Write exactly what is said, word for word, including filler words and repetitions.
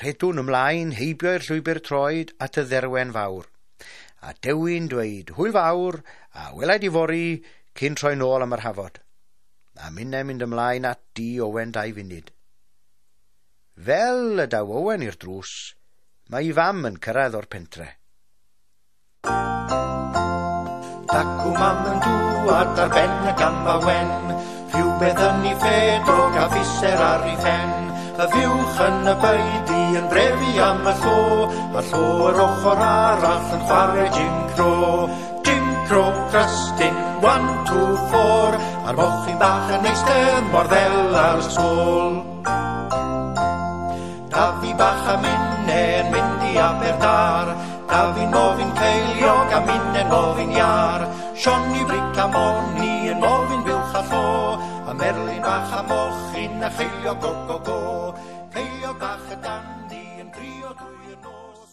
Rhedwn ymlaen heibio i'r llwybr troed at y dderwen fawr. A Dewi'n dweud hwyl fawr a welai di fory cyn troi nôl am yr hafod. A minne mynd ymlaen at di Owen dau funud. Fel y daw Owen i'r drws, mae ei fam yn cyrraedd o'r pentre. Dacw mam yn dŵad ar ben y gamfa wen, rhywbeth yn ei ffedog a fiser ar ei phen. Y fuwch yn y beudy yn brefu am y llo, a llo yr ochr arall yn chwarae Jim Crow. Jim Crow, crystyn, one, two, four, a'r mochyn bach yn eistedd mor ddel ar y sgôl. Dafi bach a minne yn mynd i Aberdâr, Dafi'n mofyn ceiliog a minne'n mofyn iâr. Sioni Bric a Moni yn mofyn buwch a llo, a Merlin bach a mochyn a cheiliog go go go. Ceiliog bach y dandi yn crio drwy'r nos.